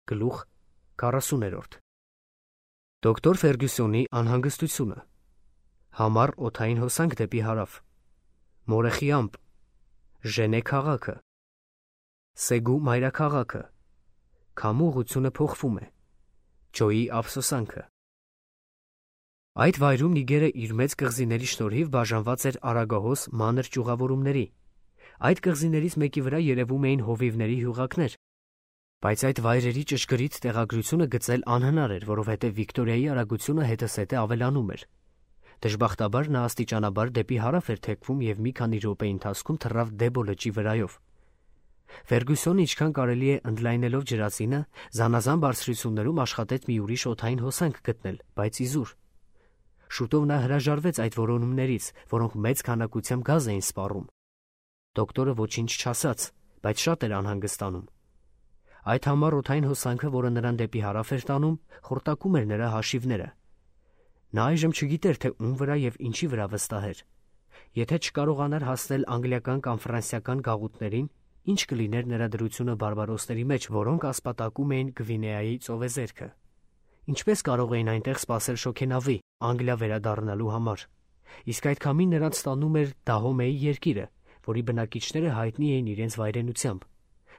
Գլուխ 40 Դոկտոր Ֆերգյուսոնի անհանգստությունը Համառ օդային հոսանք դեպի հարավ Մորեխի ամպ Ժենե քաղաքը Սեգու մայրաքաղաքը Քամու ուղղությունը փոխվում է Ջոյի ափսոսանքը Այդ վայրում Նիգերը իր մեծ կղզիների շնորհիվ բաժանված էր արագահոս մանր ճյուղավորումների Այդ կղզիներից մեկի վրա երևում էին հովիվների հյուղակներ Բայց այդ վայրերի ճշգրիտ տեղագրությունը գծել անհնար էր, որովհետև Վիկտորիայի արագությունը հետզհետե ավելանում էր։ Դժբախտաբար նա աստիճանաբար դեպի հարավ էր թեքվում և մի քանի րոպեի ընթացքում թռավ Դեբո լճի վրայով։ Ֆերգյուսոնը ինչքան կարելի է ընդլայնելով ջրածինը, զանազան բարձրություններում աշխատեց մի ուրիշ օդային հոսանք գտնել, բայց իզուր։ Շուտով նա հրաժարվեց այդ որոնումներից, որոնք մեծ քանակությամբ գազ էին սպառում։ Դոկտորը ոչինչ չասաց, բայց շատ էր անհանգստանում։ Այդ համառ օդային հոսանքը, որը նրան դեպի հարավ էր տանում, խորտակում էր նրա հաշիվները։ Նա այժմ չգիտեր, թե ում վրա և ինչի վրա վստահեր։ Եթե չկարողանար հասնել անգլիական կամ ֆրանսիական գաղութներին, ինչ կլիներ նրա դրությունը բարբարոսների մեջ, որոնք ասպատակում էին Գվինեայի ծովեզերքը։ Ինչպես կարող էին այնտեղ սպասել շոգենավի, Անգլիա վերադառնալու համար։ Իսկ այդ քամին նրանց տանում էր Դահոմեի երկիրը, որի բնակիչները հայտնի էին իրենց վայրենությամբ։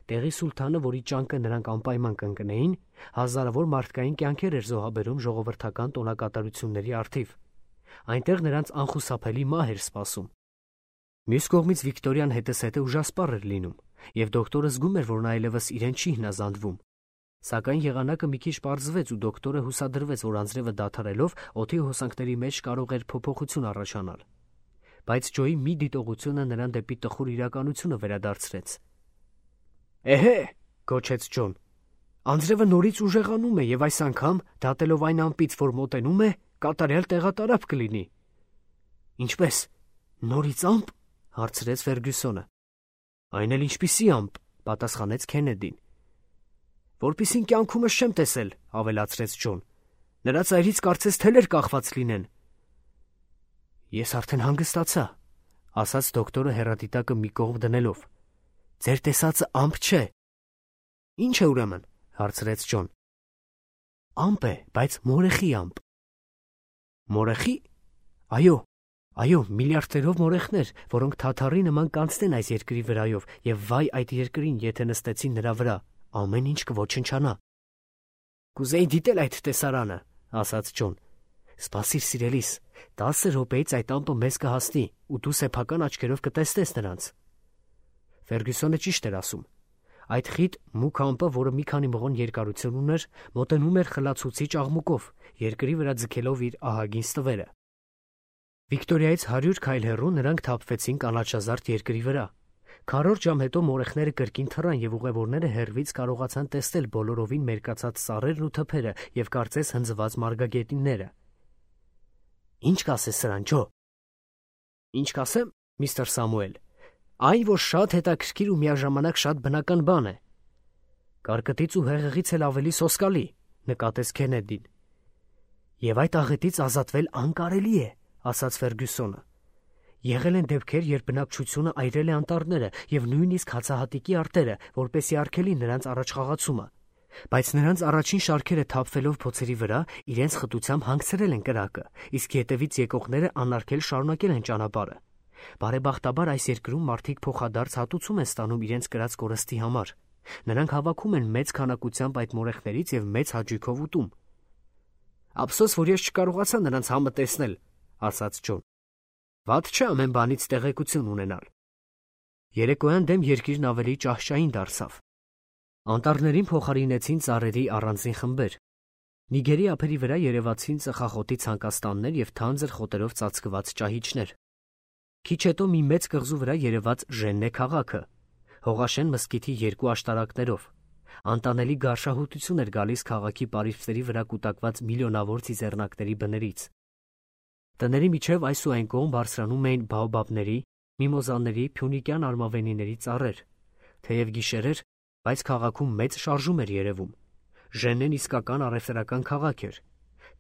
Տեղի սուլթանը, որի ճանկը նրանք անպայման կընկնեին, հազարավոր մարդկային կյանքեր էր զոհաբերում ժողովրդական տոնակատարությունների առթիվ։ Այնտեղ նրանց անխուսափելի մահ էր սպասում։ Մյուս կողմից Վիկտորիան հետզհետե ուժասպառ էր լինում, և դոկտորը զգում էր, որ նա այլևս իրեն չի հնազանդվում։ Սակայն եղանակը մի քիչ պարզվեց ու դոկտորը հուսադրվեց, որ անձրևը դադարելով օդի հոսանքների մեջ կարող էր փոփոխություն առաջանալ։ Բայց Ջոյի մի դիտողությունը նրան դեպի տխուր իրականությունը վերադարձրեց։ Էհե, գոչեց Ջոն, անձրևը նորից ուժեղանում է և այս անգամ, դատելով այն ամպից, որ մոտենում է, կատարյալ տեղատարափ կլինի։ Ինչպես, նորից ամպ, հարցրեց Ֆերգյուսոնը։ Այն էլ ինչպիսի ամպ, պատասխանեց Քենեդին։ Որպիսին կյանքումս չեմ տեսել, ավելացրեց Ջոն։ Նրա ծայրից կարծես թելեր կախված լինեն։ Ես արդեն հանգստացա, ասաց դոկտորը հեռադիտակը մի կողմ դնելով։ Ձեր տեսածը ամպ չէ։ Ինչ է ուրեմն, հարցրեց Ջոն։ Ամպ է, բայց մորեխի ամպ։ Մորեխի։ Այո, միլիարդերով մորեխներ, որոնք թաթարի նման կանցնեն այս երկրի վրայով, և վայ այդ երկրին, եթե նստեցին նրա վրա, ամեն ինչ կոչնչանա։ Կուզեի դիտել այդ տեսարանը, ասաց Ջոն։ Սպասիր, սիրելիս, 10 րոպեից այդ ամպը մեզ կհասնի, ու դու սեփական աչքերով կտեսնես նրանց։ Ֆերգյուսոնը ճիշտ էր ասում։ Այդ խիտ մուգ ամպը, որը մի քանի մղոն երկարություն ուներ, մոտենում էր խլացուցիչ աղմուկով, երկրի վրա ձգելով իր ահագին ստվերը։ Վիկտորիայից 100 քայլ հեռու նրանք թափվեցին կանաչազարդ երկրի վրա։ Քառորդ ժամ հետո մորեխները կրկին թռան և ուղևորները հեռվից կարողացան տեսնել բոլորովին մերկացած ծառերն ու թփերը և կարծես հնձված մարգագետինները։ Ինչ կասես սրան, Ջո։ Ինչ կասեմ, միստր Սամուել։ Այն, որ շատ հետաքրքիր ու միաժամանակ շատ բնական բան է։ Կարկտից ու հեղեղից էլ ավելի սոսկալի, նկատեց Քենեդին։ Եվ այդ աղետից ազատվել անկարելի է, ասաց Ֆերգյուսոնը։ Եղել են դեպքեր, երբ բնակչությունը այրել է անտառները և նույնիսկ հացահատիկի արտերը, որպեսզի արգելի նրանց առաջխաղացումը։ Բայց նրանց առաջին շարքերը թափվելով փոցերի վրա, իրենց խտությամբ հանգցրել են կրակը, իսկ հետևից եկողները անարգել շարունակել են ճանապարհը։ Բարեբախտաբար այս երկրում մարդիկ փոխադարձ հատուցում են ստանում իրենց կրած կորստի համար։ Նրանք հավաքում են մեծ քանակությամբ այդ մորեխներից և մեծ հաճույքով ուտում։ Ափսոս, որ ես չկարողացա նրանց համը տեսնել, ասաց Ջոն։ Վատ չէ ամեն բանից տեղեկություն ունենալ։ Երեկոյան դեմ երկիրն ավելի ճահճային դարձավ։ Անտառներին փոխարինեցին ծառերի առանձին խմբեր։ Նիգերի ափերի վրա երևացին ծխախոտի ցանկաստաններ և թանձր խոտերով ծածկված ճահիճներ։ Քիչ հետո մի մեծ կղզու վրա երևաց Ժեննե քաղաքը, Հողաշեն մզկիթի 2 աշտարակներով։ Անտանելի գարշահոտություն էր գալիս քաղաքի պարիսպների վրա կուտակված միլիոնավոր ծիծեռնակների բներից։ Տների միջև այս ու այն կողմ բարձրանում էին բաոբաբների, միմոզաների, փյունիկյան արմավենիների ծառեր։ Թեև գիշեր էր, բայց քաղաքում մեծ շարժում էր երևում։ Ժեննեն իսկական առևտրական քաղաք էր։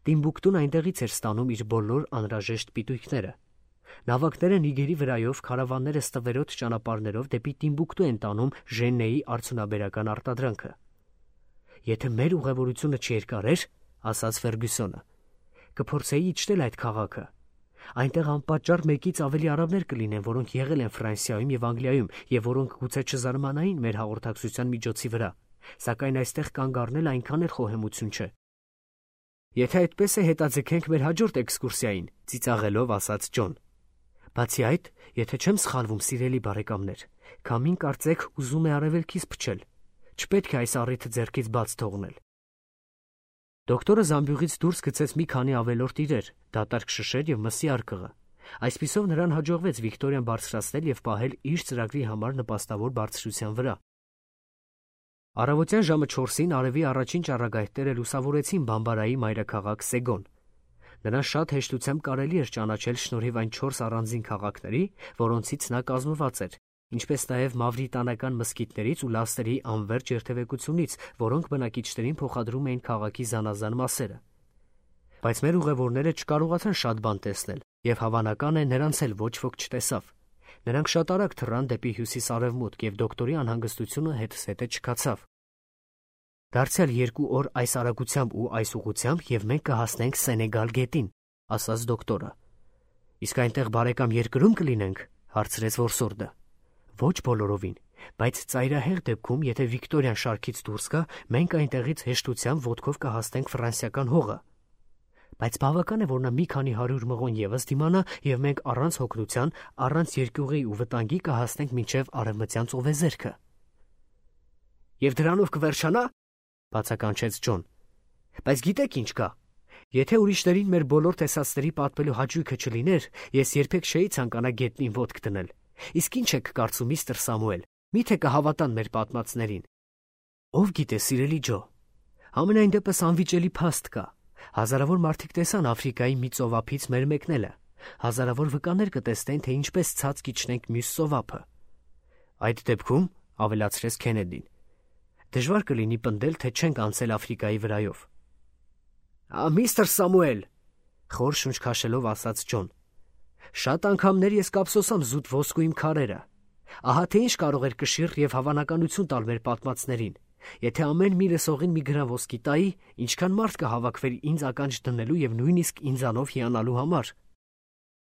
Տիմբուկտուն այնտեղից էր ստանում իր բոլոր անհրաժեշտ պիտույքները։ Նավակները Նիգերի վրայով քարավանները ստվերոտ ճանապարհներով դեպի Տիմբուկտու են տանում Ժեննեի արդյունաբերական արտադրանքը։ Եթե մեր ուղևորությունը չերկարեր, ասաց Ֆերգյուսոնը, կփորձեի իջնել այդ քաղաքը։ Այնտեղ անպատճառ մեկից ավելի արաբներ կլինեն, որոնք եղել են Ֆրանսիայում եւ Անգլիայում եւ որոնք գուցե չզարմանային մեր հաղորդակցության միջոցի վրա, սակայն այստեղ կանգ առնել այնքան էլ խոհեմություն չէ։ Եթե այդպես է, հետաձգենք մեր հաջորդ էքսկուրսիային, ծիծաղելով ասաց Ջոն։ Բացի այդ, եթե չեմ սխալվում, սիրելի բարեկամներ, քամին կարծեք ուզում է արևելքից փչել։ Չպետք է այս առիթը ձեռքից բաց թողնել։ Դոկտորը զամբյուղից դուրս գցեց մի քանի ավելորդ իրեր, դատարկ շշեր եւ մսի արկղը։ Այսպիսով նրան հաջողվեց Վիկտորիան բարձրացնել եւ պահել իր ծրագրի համար նպաստավոր բարձրության վրա։ Առավոտյան ժամը 4-ին արևի առաջին ճառագայթները լուսավորեցին Բամբարայի մայրաքաղաք Սեգոն։ Նրան շատ հեշտությամբ կարելի էր ճանաչել շնորհիվ այն 4 առանձին քաղաքների, որոնցից նա կազմված էր, ինչպես նաև մավրիտանական մզկիթներից ու լաստրի անվերջ երթևեկությունից, որոնք բնակիչներին փոխադրում էին քաղաքի զանազան մասերը։ Բայց մեր ուղևորները չկարողացան շատ բան տեսնել, եւ հավանական է նրանց էլ ոչ ոք չտեսավ։ Նրանք շատ արագ թռան դեպի հյուսիս-արևմուտք, եւ դոկտորի անհանգստությունը հետզհետե չքացավ։ Դարձյալ 2 օր այս արագությամբ ու այս ուղղությամբ, եւ մենք կհասնենք Սենեգալ գետին, ասաց դոկտորը։ Իսկ այնտեղ բարեկամ երկրում կլինենք, հարցրեց որսորդը։ Ոչ բոլորովին, բայց ծայրահեղ դեպքում, եթե Վիկտորիան շարքից դուրս գա, մենք այնտեղից հեշտությամբ ոտքով կհասնենք ֆրանսիական հողը։ Բայց բավական է, որ նա մի քանի 100 մղոն եւս դիմանա, եւ մենք առանց հոգնության, առանց երկյուղի ու վտանգի կհասնենք մինչեւ արևմտյան ծովեզերքը։ Եվ դրանով կվերջանա, բացականչեց Ջոն։ Բայց գիտեք ինչ կա։ Եթե ուրիշներին մեր բոլոր տեսածների պատմելու հաճույքը չլիներ, ես երբեք չէի ցանկանա գետնին ոտք դնել։ Իսկ ինչ եք կարծում, միստր Սամուել, միթե կհավատան մեր պատմածներին։ Ով գիտե, սիրելի Ջո, ամենայն դեպս անվիճելի փաստ կա։ Հազարավոր մարդիկ տեսան Աֆրիկայի մի ծովափից մեր մեկնելը։ Հազարավոր վկաներ կտեսնեն, թե ինչպես ցած կիջնենք մյուս ծովափը։ Այդ դեպքում, ավելացրեց Քենեդին, դժվար կլինի պնդել, թե չենք անցել Աֆրիկայի վրայով։ Միստր Սամուել, խոր շունչ քաշելով ասաց Ջոն, շատ անգամներ ես կապսոսամ զուտ ոսկու իմ քարերը։ Ահա թե ինչ կարող էր կշիռ եւ հավանականություն տալ մեր պատմածներին։ Եթե ամեն մի լսողին մի գրան ոսկի տայի, ինչքան մարդ կհավաքվեր ինձ ականջ դնելու եւ նույնիսկ ինձանով հիանալու համար։